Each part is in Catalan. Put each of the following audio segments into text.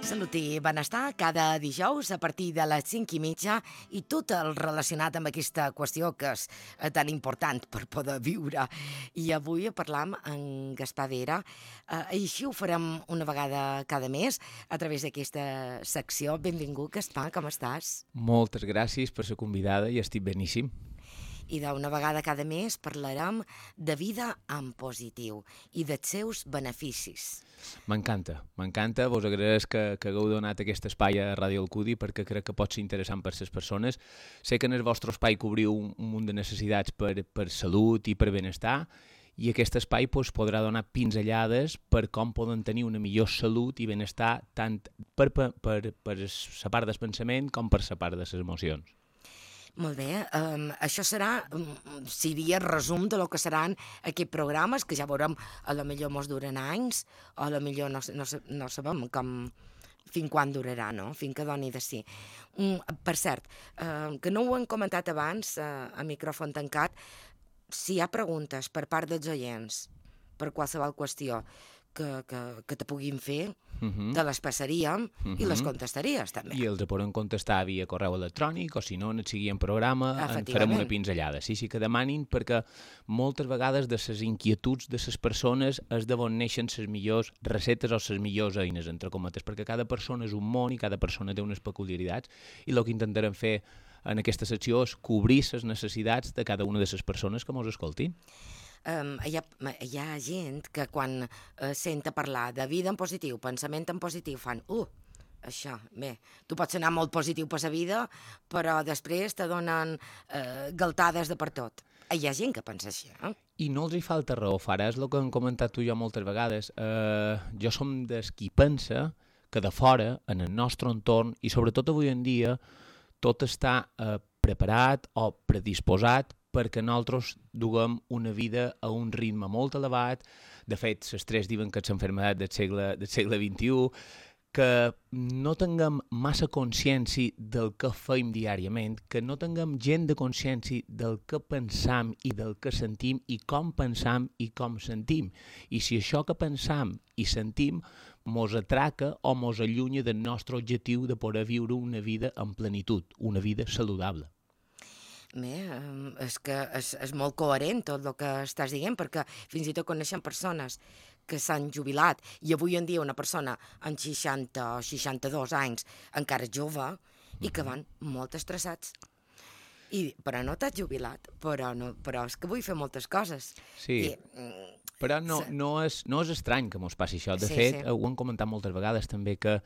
Salut i benestar cada dijous a partir de les 5:30 i tot el relacionat amb aquesta qüestió que és tan important per poder viure. I avui parlam amb Gaspar Vera. Així ho farem una vegada cada mes a través d'aquesta secció. Benvingut, Gaspar, com estàs? Moltes gràcies per ser convidada i estic beníssim. I d'una vegada cada mes parlarem de vida en positiu i dels seus beneficis. M'encanta. Vos agraeix que hagueu donat aquest espai a Ràdio Alcudi perquè crec que pot ser interessant per les persones. Sé que en el vostre espai cobriu un munt de necessitats per salut i per benestar i aquest espai podrà donar pinzellades per com poden tenir una millor salut i benestar tant per la part del pensament com per la part de les emocions. Molt bé, això seria resum de lo que seran aquests programes, que ja veurem, a lo millor mos duren anys, o a lo millor no sabem fins quan durarà, no? Fins que doni de si. Per cert, que no ho hem comentat abans, a micròfon tancat, si hi ha preguntes per part dels oients, per qualsevol qüestió que te puguin fer, te les passaríem i les contestaries, també. I els poden contestar via correu electrònic o si no, en el següent programa en farem una pinzellada. Sí que demanin, perquè moltes vegades de les inquietuds de les persones és d'on neixen les millors recetes o les millors eines, entre cometes, perquè cada persona és un món i cada persona té unes peculiaritats i el que intentarem fer en aquesta secció és cobrir les necessitats de cada una de les persones que mos escoltin. Hi ha gent que quan senta parlar de vida en positiu, pensament en positiu, fan, això, bé, tu pots anar molt positiu per la vida, però després te donen galtades de per tot. Hi ha gent que pensa així, eh? I no els hi falta raó, Fara, és el que hem comentat tu i jo moltes vegades. Jo som des qui pensa que de fora, en el nostre entorn, i sobretot avui en dia, tot està preparat o predisposat perquè nosaltres duguem una vida a un ritme molt elevat. De fet, les tres diuen que és l'enfermedat del segle XXI, que no tinguem massa consciència del que feim diàriament, que no tinguem gent de consciència del que pensam i del que sentim i com pensam i com sentim. I si això que pensam i sentim mos atraca o mos allunya del nostre objectiu de poder viure una vida en plenitud, una vida saludable. Bé, és que és molt coherent tot el que estàs dient, perquè fins i tot coneixem persones que s'han jubilat i avui en dia una persona amb 60 o 62 anys encara és jove i que van molt estressats. Però no t'has jubilat, però és que vull fer moltes coses. Sí, però no és estrany que mos passi això. De fet, ho hem comentat moltes vegades també, que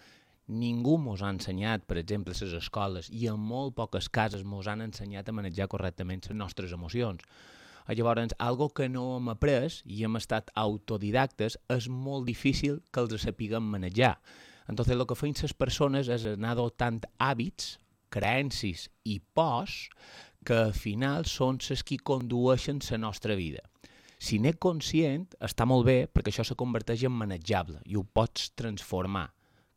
ningú mos ha ensenyat, per exemple, a les escoles, i en molt poques cases mos han ensenyat a manejar correctament les nostres emocions. Llavors, algo que no hem après i hem estat autodidactes, és molt difícil que els sapiguem manejar. Entonces, el que feien les persones és anar adoptant hàbits, creences i pors que al final són les que condueixen la nostra vida. Si n'és conscient, està molt bé, perquè això se converteix en manejable i ho pots transformar.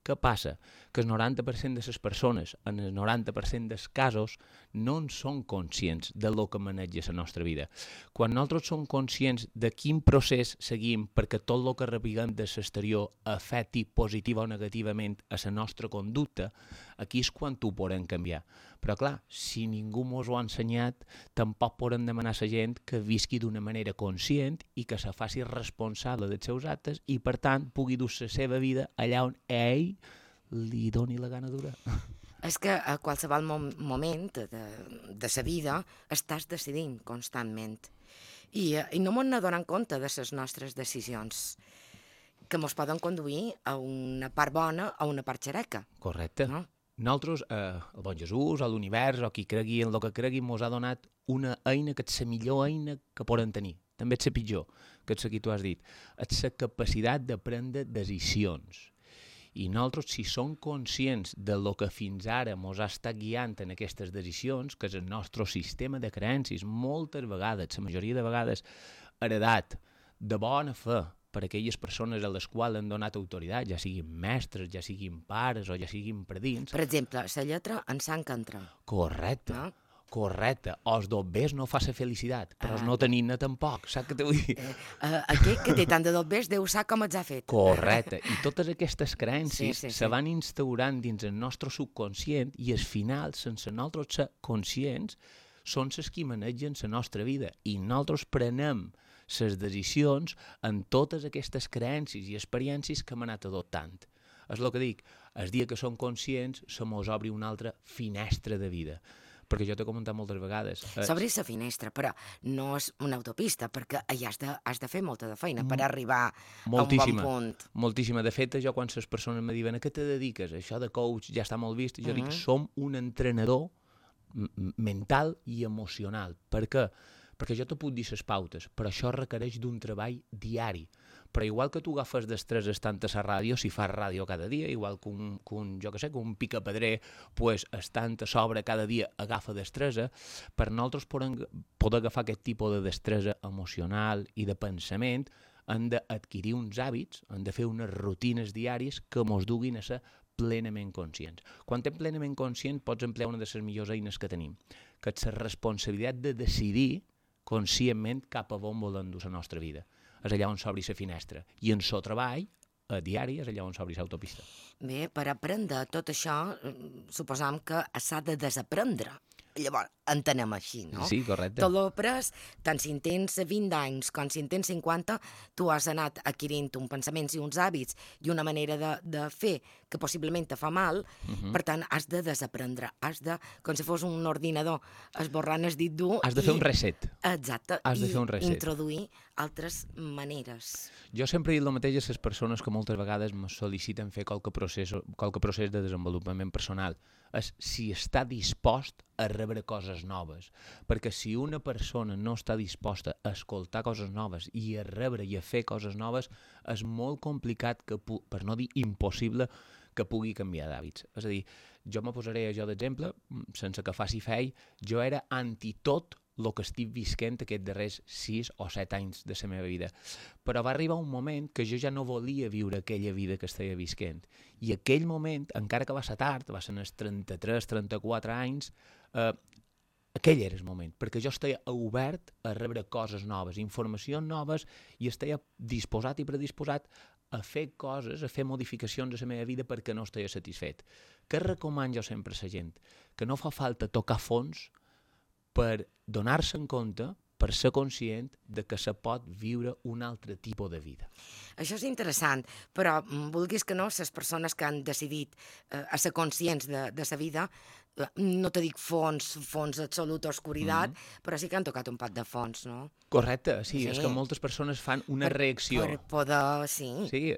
Què passa? Que el 90% de les persones, en el 90% dels casos, no en són conscients de lo que maneja la nostra vida. Quan nosaltres som conscients de quin procés seguim perquè tot el que rebiguem de l'exterior afecti positiva o negativament a la nostra conducta, aquí és quan ho podem canviar. Però clar, si ningú mos ho ha ensenyat, tampoc podem demanar a la gent que visqui d'una manera conscient i que se faci responsable dels seus actes i, per tant, pugui dur la seva vida allà on ell li doni la gana dura. És que a qualsevol moment de sa vida estàs decidint constantment i no mos n'adonem compte de les nostres decisions, que mos poden conduir a una part bona o a una part xereca. Correcte. No? Nosaltres, el bon Jesús, a l'univers, o qui cregui en el que cregui, mos ha donat una eina que és la millor eina que poden tenir. També és la pitjor, que és la que tu has dit. És la capacitat de prendre decisions. I nosaltres, si som conscients de lo que fins ara mos ha estat guiant en aquestes decisions, que és el nostre sistema de creences, moltes vegades, la majoria de vegades, heredat de bona fe per aquelles persones a les quals han donat autoritat, ja siguin mestres, ja siguin pares o ja siguin predins. Per exemple, la lletra en sang que entra. Correcte. No? Correcte, els dobbers no fa la felicitat, però no tenir-ne tampoc, saps què te vull dir? Aquest que té tant de dobbers Déu sap com els ha fet. Correcte, i totes aquestes creences se van instaurant dins el nostre subconscient i al final, sense nosaltres ser conscients, són les que manegen la nostra vida i nosaltres prenem les decisions en totes aquestes creences i experiències que hem anat adoptant. És el que dic, el dia que som conscients se mos obri una altra finestra de vida. Perquè jo t'he comentat moltes vegades... S'obri la finestra, però no és una autopista, perquè allà has de fer molta de feina per arribar a un bon punt. Moltíssima. De fet, jo quan les persones me diuen a què te dediques? Això de coach ja està molt vist. Jo dic, som un entrenador mental i emocional. Per què? Perquè jo te puc dir les pautes, però això requereix d'un treball diari. Però igual que tu agafes destreses tant a la ràdio, si fas ràdio cada dia, igual que un picapedrer, pues, estant a sobre cada dia agafa destresa, per nosaltres poder agafar aquest tipus de destresa emocional i de pensament, hem d'adquirir uns hàbits, hem de fer unes rutines diàries que ens duguin a ser plenament conscients. Quan ets plenament conscient pots emplear una de les millors eines que tenim, que és la responsabilitat de decidir conscientment cap a on volem dur la nostra vida. És allà on s'obri la finestra. I en el treball, a diari, és allà on s'obri l'autopista. Bé, per aprendre tot això, suposam que s'ha de desaprendre. Llavors, entenem així, no? Sí, correcte. Tot l'opres, tant si en tens 20 anys com si en tens 50, tu has anat adquirint uns pensaments i uns hàbits i una manera de fer que possiblement te fa mal, per tant, has de desaprendre. Has de, com si fos un ordinador, esborrant el dit dur... Has de fer un reset. Exacte. Has de fer un reset. I introduir altres maneres. Jo sempre he dit el mateix a les persones que moltes vegades me sol·liciten fer qualque procés de desenvolupament personal. És si està dispost a rebre coses noves. Perquè si una persona no està disposta a escoltar coses noves i a rebre i a fer coses noves, és molt complicat, per no dir impossible, que pugui canviar d'hàbits. És a dir, jo me posaré jo d'exemple, sense que faci fei, jo era anti tot el que estic visquent aquests darrers 6 o 7 anys de la meva vida. Però va arribar un moment que jo ja no volia viure aquella vida que estava visquent. I aquell moment, encara que va ser tard, va ser als 33-34 anys, aquell era el moment, perquè jo estava obert a rebre coses noves, informacions noves, i estava disposat i predisposat a fer coses, a fer modificacions a la meva vida perquè no estava satisfet. Què recomano jo sempre a la gent? Que no fa falta tocar fons per donar-se en compte, per ser conscient de que se pot viure un altre tipus de vida. Això és interessant, però vulguis que no, les persones que han decidit a ser conscients de la vida, no te dic fons absolut oscuritat, però sí que han tocat un pot de fons, no? Correcte, sí, és que moltes persones fan una reacció. Per poder, sí. Sí,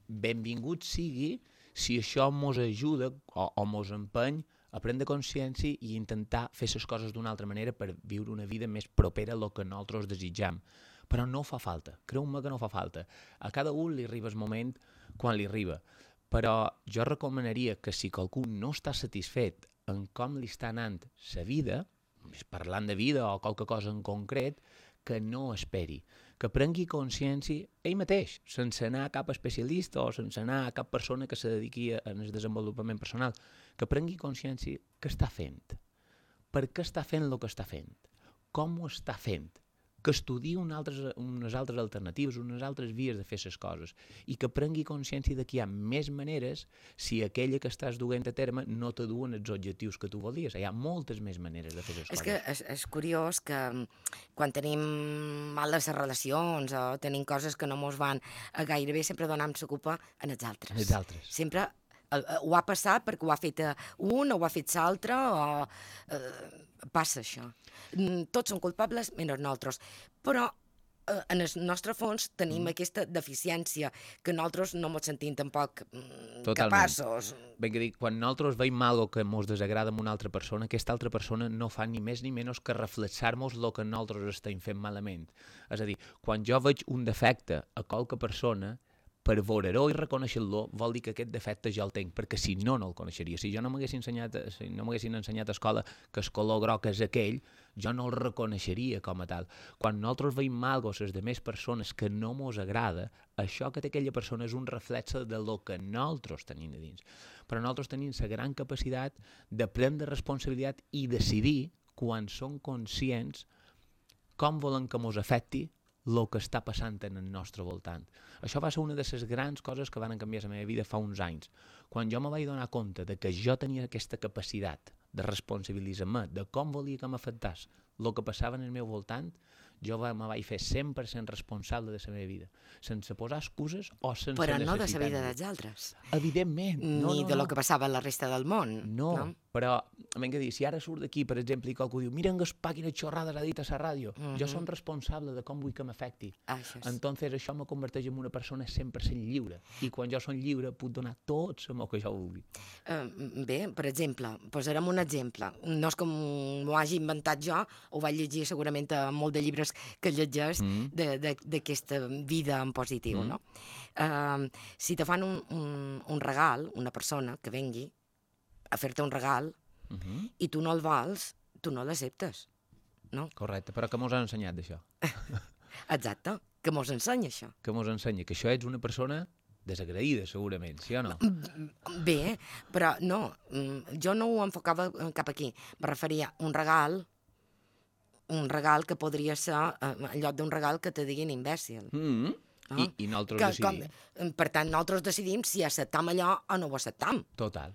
benvingut sigui si això mos ajuda o mos empeny a prendre consciència i intentar fer les coses d'una altra manera per viure una vida més propera a lo que nosaltres desitjam. Però no fa falta, creu-me que no fa falta. A cada un li arriba el moment quan li arriba. Però jo recomanaria que si qualcú no està satisfet en com li està anant la vida, parlant de vida o qualque cosa en concret, que no esperi, que prengui consciència ell mateix, sense anar a cap especialista o sense anar a cap persona que se dediqui al desenvolupament personal, que prengui consciència que està fent, per què està fent el que està fent, com ho està fent, que estudiï unes altres alternatives, unes altres vies de fer les coses i que prengui consciència de que hi ha més maneres si aquella que estàs duent a terme no te duen els objectius que tu volies. Hi ha moltes més maneres de fer les coses. És que és curiós que quan tenim males relacions o tenim coses que no mos van gairebé, sempre donem s'ocupa en els altres. Els altres. Sempre ho ha passat perquè ho ha fet un o ho ha fet l'altre o passa això. Tots són culpables menys nosaltres, però en el nostre fons tenim aquesta deficiència que nosaltres no ens sentim tampoc capaços. Ben que dic, quan nosaltres veiem alguna que ens desagrada amb una altra persona, aquesta altra persona no fa ni més ni menys que reflexar-nos el que nosaltres estem fent malament. És a dir, quan jo veig un defecte a qualque persona, per veure-ho i reconèixer-lo vol dir que aquest defecte ja el tinc, perquè si no, no el coneixeria. Si jo no m'haguessin ensenyat a escola que el color groc és aquell, jo no el reconeixeria com a tal. Quan nosaltres veiem alguna cosa a les demés persones que no mos agrada, això que té aquella persona és un reflexe de lo que nosaltres tenim a dins. Però nosaltres tenim la gran capacitat de prendre responsabilitat i decidir quan són conscients com volen que mos afecti el que està passant en el nostre voltant. Això va ser una de les grans coses que van canviar la meva vida fa uns anys. Quan jo me vaig donar compte de que jo tenia aquesta capacitat de responsabilitzar-me de com volia que m'afectés el que passava en el meu voltant, jo me vaig fer 100% responsable de la meva vida, sense posar excuses o sense necessitar. Però no de la vida dels altres. Evidentment. Ni de lo que passava a la resta del món. No, però, vinga a dir, si ara surt d'aquí, per exemple, i qualcú diu mira en Gaspar quines xorrades ha dit a la ràdio, jo som responsable de com vull que m'afecti. Entonces això me converteix en una persona 100% lliure. I quan jo som lliure puc donar tot el que jo vulgui. Bé, per exemple, posarem un exemple. No és com m'ho hagi inventat jo, ho vaig llegir segurament a molt de llibres que llegeix d'aquesta vida en positiu, no? Si te fan un regal, una persona que vengui a fer-te un regal i tu no el vols, tu no l'acceptes, no? Correcte, però què mos ha ensenyat d'això? Exacte, què mos ensenya això? Què mos ensenya? Que això ets una persona desagraïda, segurament, sí o no? Bé, però no, jo no ho enfocava cap aquí. Me referia a un regal que podria ser, en lloc d'un regal que te diguin imbècil. I nosaltres decidim. Per tant, nosaltres decidim si acceptam allò o no ho acceptam. Total.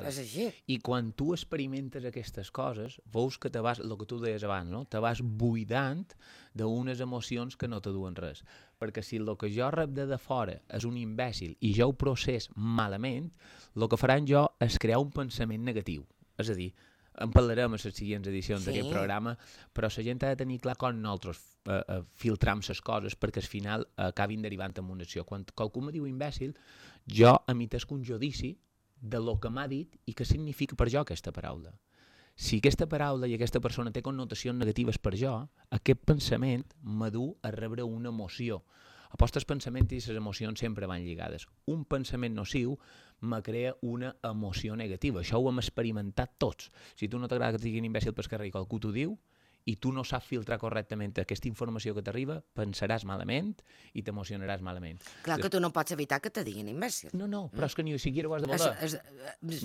És així. I quan tu experimentes aquestes coses, veus que te vas, el que tu deies abans, no? Te vas buidant d'unes emocions que no te duen res. Perquè si el que jo rep de fora és un imbècil i jo ho procés malament, el que faran jo és crear un pensament negatiu. És a dir, en parlarem a les següents edicions d'aquest programa, però la gent ha de tenir clar com nosaltres filtram les coses perquè al final acabin derivant en una acció. Quan qualcú me diu imbècil, jo emitesc un judici de lo que m'ha dit i què significa per jo aquesta paraula. Si aquesta paraula i aquesta persona té connotacions negatives per jo, aquest pensament m'adu a rebre una emoció. Els pensaments i les emocions sempre van lligades. Un pensament nociu me crea una emoció negativa. Això ho hem experimentat tots. Si tu no t'agrada que et diguin imbècil pel carrer i qualcú t'ho diu, i tu no saps filtrar correctament aquesta informació que t'arriba, pensaràs malament i t'emocionaràs malament. Clar que tu no pots evitar que te diguin imbècil. No, però és que ni siquiera ho has de voler.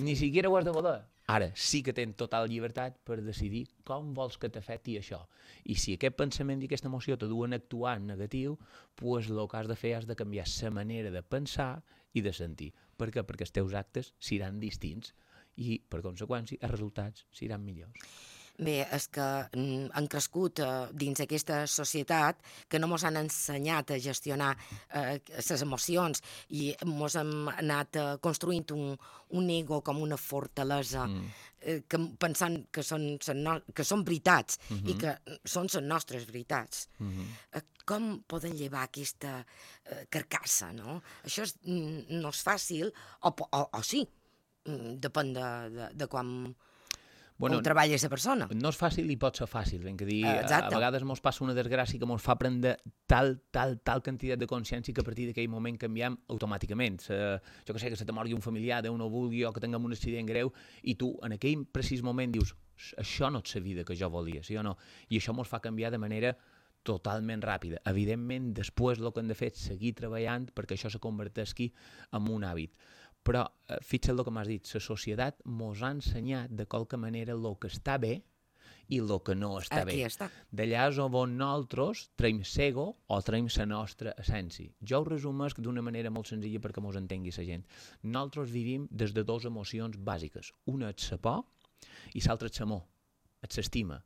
Ni siquiera ho has de voler. Ara, sí que tens total llibertat per decidir com vols que t'afecti això. I si aquest pensament i aquesta emoció te duen a actuar en negatiu, doncs el que has de fer és de canviar la manera de pensar i de sentir. Per què? Perquè els teus actes seran distints i, per conseqüència, els resultats seran millors. Bé, és que han crescut dins aquesta societat que no mos han ensenyat a gestionar les emocions i mos hem anat construint un ego com una fortalesa pensant que són veritats i que són les nostres veritats. Com poden llevar aquesta carcassa, no? Això no és fàcil, o sí, depèn de quan on treballa aquesta persona. No és fàcil i pot ser fàcil, ben que dir, a vegades mos passa una desgràcia que mos fa prendre tal quantitat de consciència que a partir d'aquell moment canviem automàticament. Jo que sé, que se te morgui un familiar, Déu no vulgui, o que tinguem un accident greu, i tu en aquell precís moment dius, això no és la vida que jo volia, sí o no? I això mos fa canviar de manera totalment ràpida. Evidentment, després el que hem de fer és seguir treballant perquè això se converteixi en un hàbit. Però, fixa't el que m'has dit, la societat mos ha ensenyat de qualque manera el que està bé i el que no està bé. D'allà és on nosaltres traiem l'ego o traiem la nostra essència. Jo ho resumesc d'una manera molt senzilla perquè mos entengui la gent. Nosaltres vivim des de dues emocions bàsiques. Una és la por i l'altra és l'amor, és l'estima.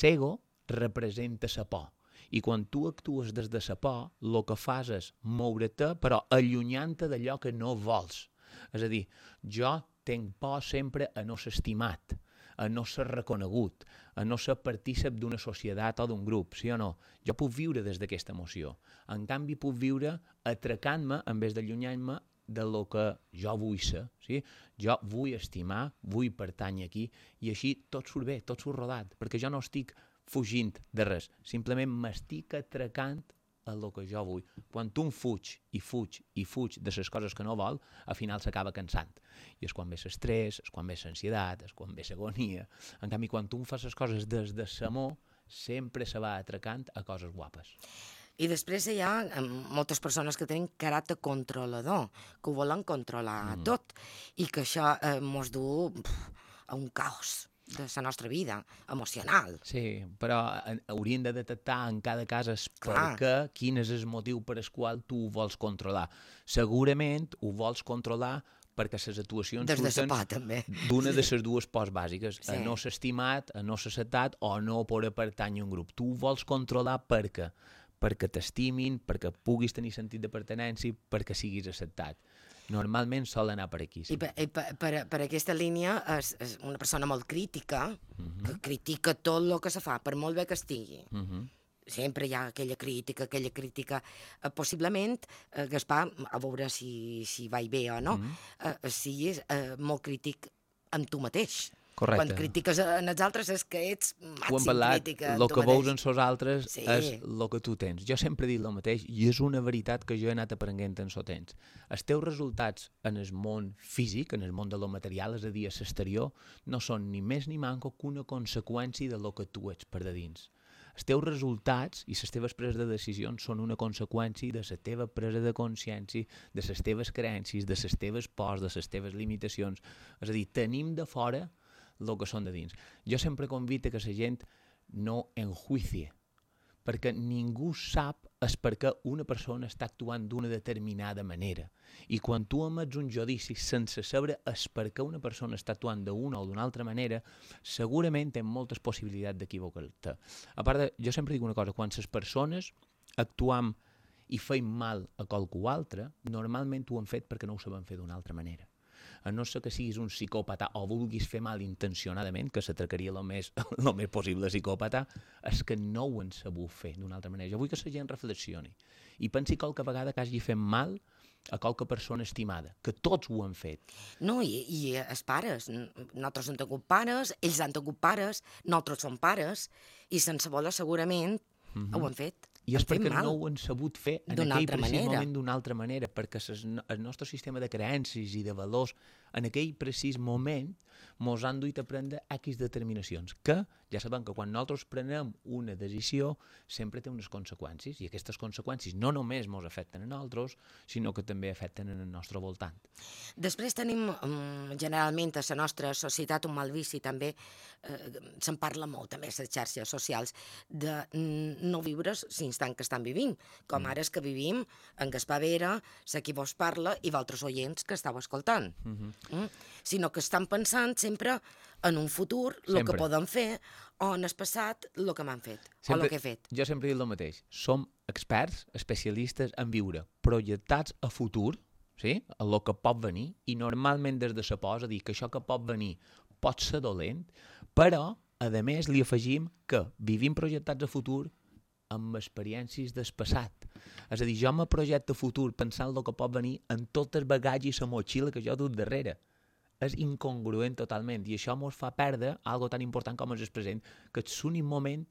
L'ego representa la por. I quan tu actues des de la por, el que fas és moure-te, però allunyant-te d'allò que no vols. És a dir, jo tinc por sempre a no ser estimat, a no ser reconegut, a no ser partícip d'una societat o d'un grup, sí o no? Jo puc viure des d'aquesta emoció. En canvi, puc viure atracant-me, en vez d'allunyant-me, de lo que jo vull ser. Sí? Jo vull estimar, vull pertànyer aquí, i així tot surt bé, tot surt rodat, perquè jo no estic fugint de res, simplement m'estic atracant a el que jo vull. Quan tu fuig de les coses que no vol, al final s'acaba cansant. I és quan ve l'estrès, és quan ve l'ansietat, és quan ve l'agonia. En canvi, quan tu fas les coses des de l'amor, sempre se va atracant a coses guapes. I després hi ha moltes persones que tenen caràcter controlador, que ho volen controlar tot, i que això mos du a un caos. de la nostra vida emocional. Sí, però hauríem de detectar en cada cas quin és el motiu per el qual tu ho vols controlar. Segurament ho vols controlar perquè les actuacions surten d'una de les dues pors bàsiques, a no ser estimat, a no ser acceptat o no poder pertànyer a un grup. Tu ho vols controlar perquè t'estimin, perquè puguis tenir sentit de pertinença, perquè siguis acceptat. Normalment sol anar per aquí. Sí. I per aquesta línia és una persona molt crítica, que critica tot el que se fa, per molt bé que estigui. Sempre hi ha aquella crítica, possiblement, Gaspar, a veure si vaig bé o no, siguis molt crític amb tu mateix. Correcte. Quan critiques en els altres és que ets màxim crítica amb tu mateix. El que veus en els altres és el que tu tens. Jo sempre he dit el mateix i és una veritat que jo he anat aprenent en el temps. Els teus resultats en el món físic, en el món de lo material, és a dir, a l'exterior, no són ni més ni manco que una conseqüència de lo que tu ets per de dins. Els teus resultats i les teves preses de decisions són una conseqüència de la teva presa de consciència, de les teves creences, de les teves pors, de les teves limitacions. És a dir, tenim de fora el que són de dins. Jo sempre convido que la gent no enjuicie, perquè ningú sap és per què una persona està actuant d'una determinada manera. I quan tu emets un judici sense saber és per què una persona està actuant d'una o d'una altra manera, segurament tens moltes possibilitats d'equivocar-te. A part jo sempre dic una cosa, quan les persones actuam i feim mal a qualcú altre, normalment ho han fet perquè no ho saben fer d'una altra manera. A no ser que siguis un psicòpata o vulguis fer mal intencionadament, que s'atracaria el més possible psicòpata, és que no ho han sabut fer d'una altra manera. Jo vull que la gent reflexioni i pensi qualque vegada que hagi fet mal a qualque persona estimada, que tots ho han fet. No, i els pares. Nosaltres hem tingut pares, ells han tingut pares, nosaltres som pares, i sense voler segurament ho han fet. I és perquè no ho han sabut fer en aquell precís moment d'una altra manera, perquè el nostre sistema de creences i de valors en aquell precís moment ens han duit a prendre X determinacions, que ja sabem que quan nosaltres prenem una decisió sempre té unes conseqüències, i aquestes conseqüències no només ens afecten a nosaltres, sinó que també afecten en el nostre voltant. Després tenim, generalment, a la nostra societat un mal vici, també se'n parla molt, també a les xarxes socials, de no viure l'instant que estan vivint, com ara és que vivim en Gaspar Vera, la qui vos parla, i vosaltres oients que estàu escoltant. Sinó que estan pensant sempre en un futur, el que podem fer, o en el passat, el que m'han fet, o el que he fet. Jo sempre dic el mateix. Som experts, especialistes en viure projectats a futur, sí? A el que pot venir, i normalment des de la por, és a dir, que això que pot venir pot ser dolent, però, a més, li afegim que vivim projectats a futur amb experiències del passat. És a dir, jo me projecto a futur pensant el que pot venir en tot el bagatge i la motxilla que jo dut darrere. És incongruent totalment, i això ens fa perdre algo tan important com és el present, que és l'únic moment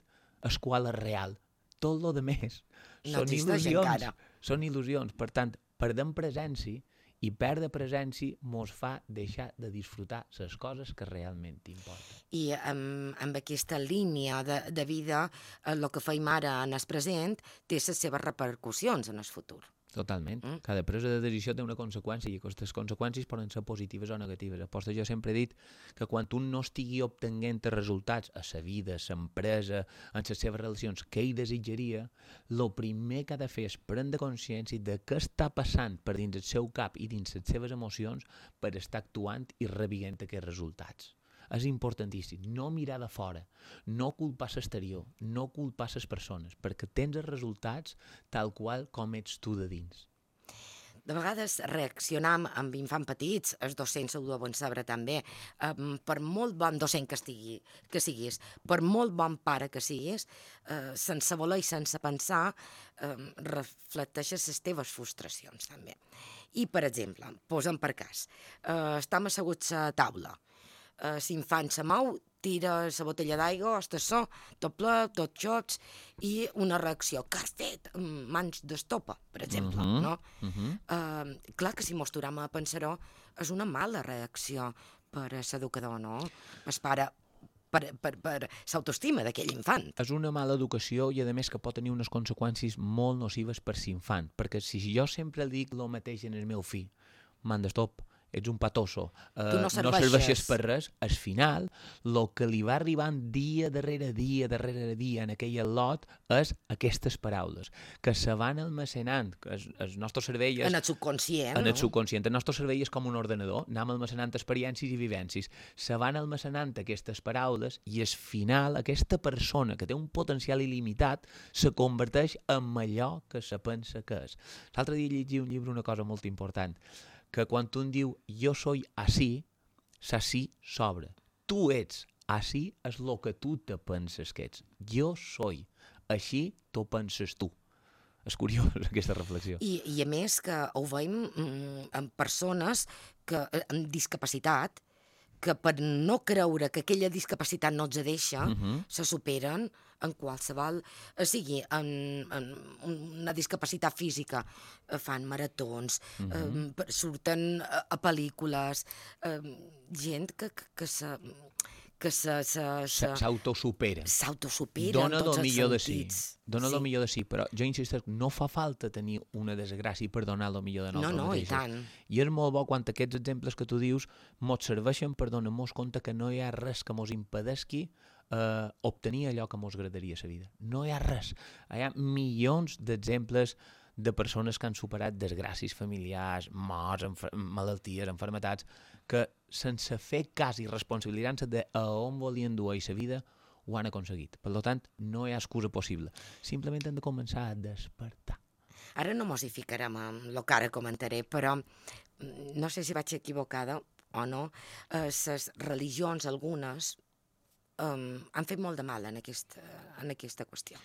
el qual és real. Tot el més són il·lusions. Són il·lusions. Per tant, perdem presència, i perdre presència ens fa deixar de disfrutar les coses que realment importen. I amb aquesta línia de vida, el que feim ara en el present té les seves repercussions en el futur. Totalment. Cada presa de decisió té una conseqüència i aquestes conseqüències poden ser positives o negatives. Aposta, jo sempre he dit que quan un no estigui obtenint resultats a sa vida, a sa empresa, en les seves relacions que ell desitjaria, el primer que ha de fer és prendre consciència de què està passant per dins el seu cap i dins les seves emocions per estar actuant i rebent aquests resultats. És importantíssim, no mirar de fora, no culpar l'exterior, no culpar les persones, perquè tens els resultats tal qual com ets tu de dins. De vegades reaccionam amb infants petits, els docents ho deuen saber també, per molt bon docent que siguis, per molt bon pare que siguis, sense voler i sense pensar, reflecteixes les teves frustracions també. I, per exemple, posem per cas, estem asseguts a taula, l'infant se mou, tira la botella d'aigua, el tassó, tot ple, tot xots, i una reacció. Què has fet? Mans d'estopa, per exemple, no? Clar que si mos tornem a pensar-ho, és una mala reacció per a l'educador, no? El pare, per l'autoestima d'aquell infant. És una mala educació i, a més, que pot tenir unes conseqüències molt nocives per l'infant, perquè si jo sempre li dic el mateix en el meu fill, man d'estop, ets un patoso, no serveixes per res, al final, el que li va arribant dia darrere dia en aquell lot és aquestes paraules, que se van almacenant, que el nostre cervell és... En el subconscient, En el subconscient. El nostre cervell és com un ordenador, anem almacenant experiències i vivències. Se van almacenant aquestes paraules i al final aquesta persona que té un potencial il·limitat se converteix en allò que se pensa que és. L'altre dia llegia un llibre una cosa molt important, que quan un diu jo soy así, s'ací sobra. Tu ets así és el que tu te penses que ets. Jo soy. Així t'ho penses tu. És curiós aquesta reflexió. I a més que ho veiem en persones amb discapacitat, que per no creure que aquella discapacitat no els deixa, se superen en qualsevol, sigui en una discapacitat física, fan maratons, surten a pel·lícules, gent que s'autosupera. S'autosupera en tots els sentits. Dona el millor de si, però jo insisteixo, no fa falta tenir una desgràcia per donar el millor de nosaltres mateixos. I tant. I és molt bo quan aquests exemples que tu dius mos serveixen per donar-nos compte que no hi ha res que mos impedesqui obtenir allò que mos agradaria a la vida. No hi ha res. Hi ha milions d'exemples de persones que han superat desgràcies familiars, morts, malalties, enfermetats, que sense fer cas i responsabilitzar-se de a on volien dur a la vida, ho han aconseguit. Per tant, no hi ha excusa possible. Simplement hem de començar a despertar. Ara no mos hi ficarem amb el que ara comentaré, però no sé si vaig equivocada o no, les religions, algunes, han fet molt de mal en aquesta qüestió.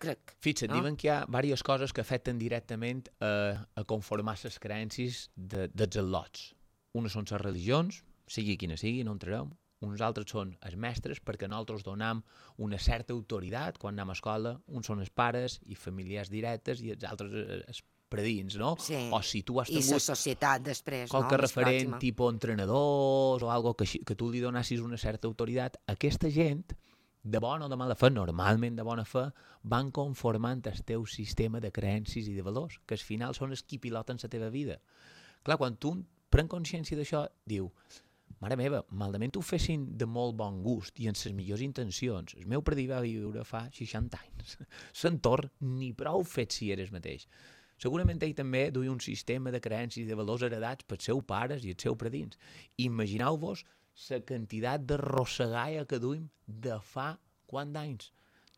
Crec. Fixa't, diuen que hi ha diverses coses que afecten directament a conformar les creences dels al·lots. Unes són les religions, sigui quina sigui, no entrarem. Uns altres són els mestres, perquè nosaltres donem una certa autoritat quan anem a escola. Uns són els pares i familiars directes i els altres els predins, no? Sí. O si tu has tingut... I la societat després, no? Qualque referent, tipus entrenadors o algo que tu li donassis una certa autoritat, aquesta gent, de bona o de mala fe, normalment de bona fe, van conformant el teu sistema de creences i de valors, que al final són els qui piloten la teva vida. Clar, quan tu pren consciència d'això, diu, mare meva, malament ho fessin de molt bon gust i amb les millors intencions. El meu predí va viure fa 60 anys. L'entorn ni prou fet si eres mateix. Segurament ell també duia un sistema de creences i de valors heredats pels seus pares i els seus predins. Imagineu-vos la quantitat de rossegalla que duim de fa quant d'anys.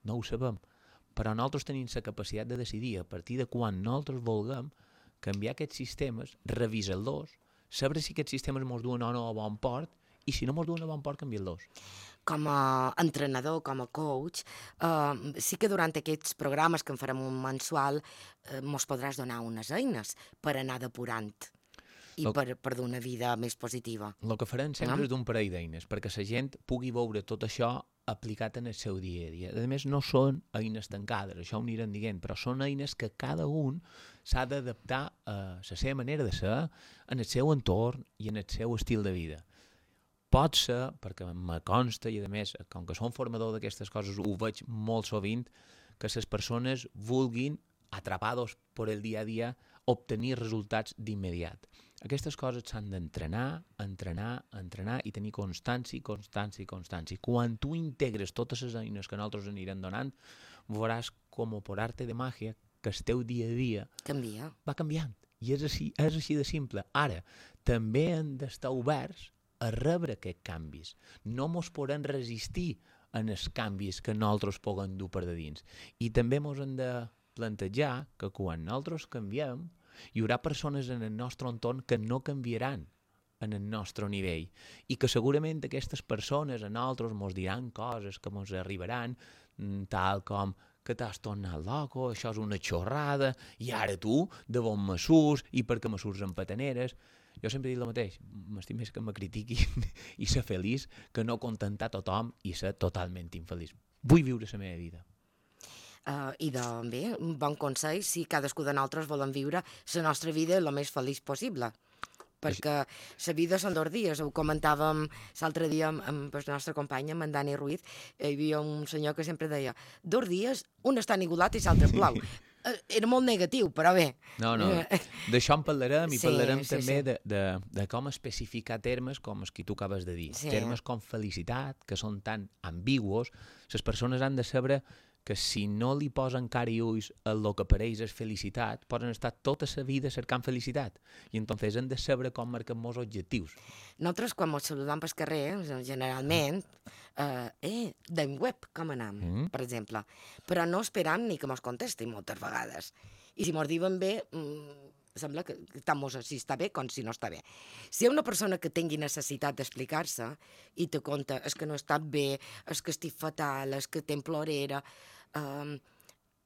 No ho sabem. Però nosaltres tenim la capacitat de decidir a partir de quan nosaltres vulguem canviar aquests sistemes, revisar-los, saber si aquests sistemes ens duen o no a bon port, i si no ens duen a bon port, canviar-los. Com a entrenador, com a coach, sí que durant aquests programes que en farem un mensual mos podràs donar unes eines per anar depurant i per donar vida més positiva. El que farem sempre és d'un parell d'eines, perquè la gent pugui veure tot això aplicat en el seu dia a dia. A més, no són eines tancades, això ho anirem dient, però són eines que cada un s'ha d'adaptar a la seva manera de ser, en el seu entorn i en el seu estil de vida. Pot ser, perquè me consta, i a més, com que som formador d'aquestes coses, ho veig molt sovint, que les persones vulguin, atrapados per el dia a dia, obtenir resultats d'immediat. Aquestes coses s'han d'entrenar, entrenar i tenir constància. Quan tu integres totes les eines que nosaltres anirem donant, veuràs com per arte de màgia que el teu dia a dia va canviant. I és així de simple. Ara, també hem d'estar oberts a rebre aquests canvis. No mos podem resistir en els canvis que nosaltres puguem dur per de dins. I també mos hem de plantejar que quan nosaltres canviem, hi haurà persones en el nostre entorn que no canviaran en el nostre nivell i que segurament aquestes persones a nosaltres mos diran coses que mos arribaran, tal com que t'has tornat loco, això és una xorrada, i ara tu, de bon me surts, i per què me surts en pataneres. Jo sempre he dit el mateix, m'estic més que me critiquin i ser feliç que no contentar tothom i ser totalment infeliç. Vull viure la meva vida. I bé, un bon consell, si cadascú de nosaltres volem viure la nostra vida el més feliç possible. Perquè la vida són 2 dies, ho comentàvem l'altre dia amb el nostre company, amb en Dani Ruiz, hi havia un senyor que sempre deia 2 dies, un està enigulat i l'altre plou. era molt negatiu, però bé. No, d'això en parlarem i parlarem també de com especificar termes com els que tu acabes de dir. Termes com felicitat, que són tan ambigüos, les persones han de saber que si no li posen cara i ulls el que per ells és felicitat, poden estar tota la vida cercant felicitat. I entonces han de saber com marcar molts objectius. Nosaltres, quan ens saludam pel carrer, generalment, d'en web, com anam, per exemple. Però no esperam ni que mos contesti moltes vegades. I si mos diuen bé, sembla que tant si està bé com si no està bé. Si hi ha una persona que tingui necessitat d'explicar-se i te conta és que no he estat bé, és que estic fatal, és que tenc plorera,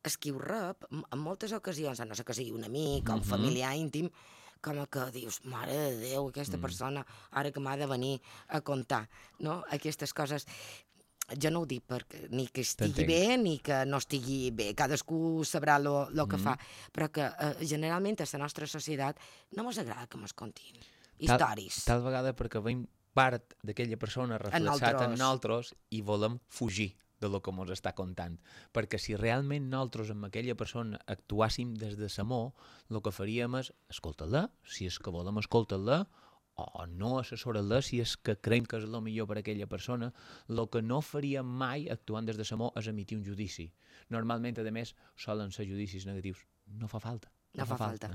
és qui ho rep, en moltes ocasions, a no ser que sigui un amic o un familiar íntim, com que dius, mare de Déu, aquesta persona ara que m'ha de venir a contar, no? Aquestes coses. Jo no ho dic ni que estigui bé ni que no estigui bé, cadascú sabrà el que fa, però que generalment a la nostra societat no ens agrada que ens contin històries. Tal vegada perquè veiem part d'aquella persona reflexat en nosaltres i volem fugir de lo que ens està contant. Perquè si realment nosaltres amb aquella persona actuàssim des de l'amor, el que faríem és escoltar-la, si és que volem escoltar-la, o no assessorar-la si és que creiem que és el millor per a aquella persona. El que no faríem mai actuant des de l'amor és emitir un judici. Normalment, a més, solen ser judicis negatius. No fa falta. No fa falta.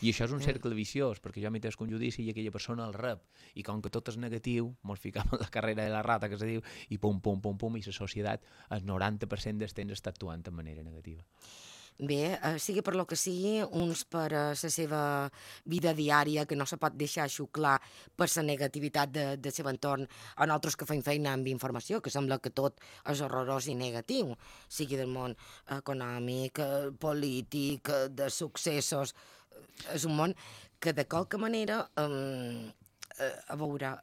I això és un cercle viciós, perquè jo emitesc un judici i aquella persona el rep. I com que tot és negatiu, ens ficam en la carrera de la rata, que se diu, i pum, pum, pum, pum, i la societat, el 90% del temps està actuant de manera negativa. Bé, sigui per lo que sigui, uns per la seva vida diària, que no se pot deixar xuclar per la negativitat del seu entorn, en altres que feim feina amb informació, que sembla que tot és horrorós i negatiu, sigui del món econòmic, polític, de successos. És un món que de qualque manera, a veure,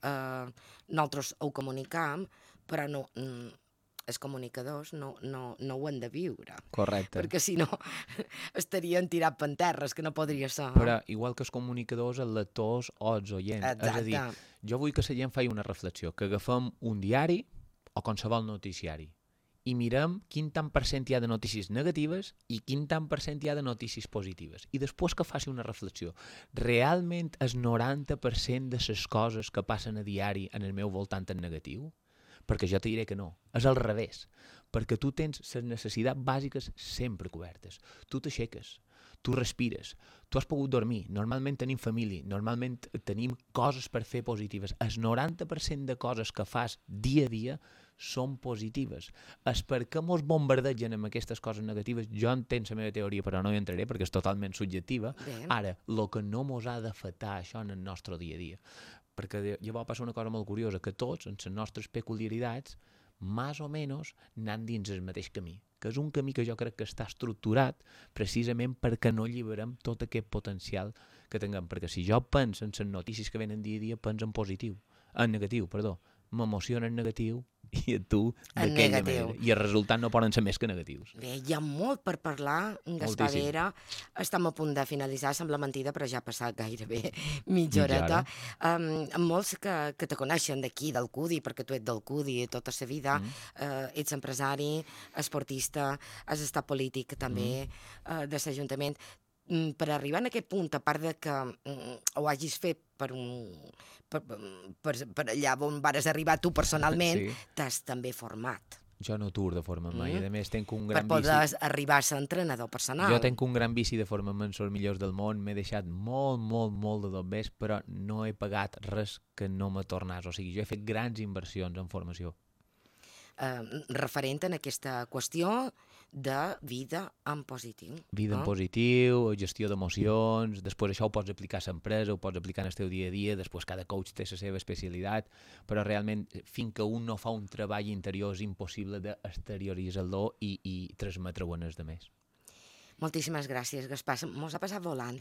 nosaltres ho comunicam, però no... els comunicadors no ho han de viure. Correcte. Perquè si no estarien tirat per terres, que no podria ser. Però igual que els comunicadors, els lectors o els oients. Exacte. És a dir, jo vull que la gent faci una reflexió, que agafem un diari o qualsevol noticiari i mirem quin tant per cent hi ha de notícies negatives i quin tant per cent hi ha de notícies positives. I després que faci una reflexió. Realment el 90% de les coses que passen a diari en el meu voltant en negatiu? Perquè jo te diré que no, és al revés, perquè tu tens les necessitats bàsiques sempre cobertes, tu t'aixeques, tu respires, tu has pogut dormir, normalment tenim família, normalment tenim coses per fer positives, el 90% de coses que fas dia a dia són positives. És perquè mos bombardegen amb aquestes coses negatives, jo entenc la meva teoria però no hi entraré perquè és totalment subjectiva. Bé. Ara, el que no mos ha d'afectar això en el nostre dia a dia, perquè llavors passa una cosa molt curiosa, que tots, en les nostres peculiaritats, més o menys anem dins el mateix camí, que és un camí que jo crec que està estructurat precisament perquè no alliberem tot aquest potencial que tinguem, perquè si jo penso en les notícies que venen dia a dia, penso en positiu, en negatiu, perdó, m'emociona en negatiu i a tu d'aquella manera. I els resultats no poden ser més que negatius. Bé, hi ha molt per parlar, Gaspar Vera. Estem a punt de finalitzar, sembla mentida, però ja ha passat gairebé mitja horeta. Molts que te coneixen d'aquí, del CUDI, perquè tu ets del CUDI tota la vida, ets empresari, esportista, has estat polític també de l'Ajuntament. Per arribar a aquest punt, a part de que ho hagis fet per allà on vares arribar tu personalment, t'has també format. Jo no tour de forma mai, a més tenc un gran vici... Per poder arribar a ser entrenador personal. Jo tenc un gran vici de forma-me en els millors del món, m'he deixat molt de dobbers, però no he pagat res que no me tornàs, o sigui, jo he fet grans inversions en formació. Referent en aquesta qüestió de vida en positiu. Vida en positiu, gestió d'emocions, després això ho pots aplicar a l'empresa, ho pots aplicar en el teu dia a dia, després cada coach té la seva especialitat, però realment fins que un no fa un treball interior és impossible d'exterioritzar-lo i transmetre-ho en els altres. Moltíssimes gràcies, Gaspar. Mos ha passat volant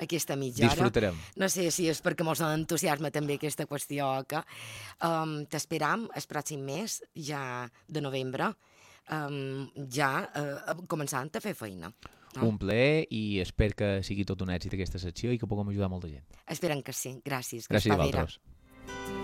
aquesta mitja hora. Disfrutarem. No sé si és perquè mos entusiasma també aquesta qüestió. T'esperam el pròxim mes, ja de novembre, ja començant a fer feina. Un plaer i espero que sigui tot un èxit aquesta secció i que puguem ajudar molta gent. Esperem que sí. Gràcies, Gaspar Vera. Gràcies a vosaltres.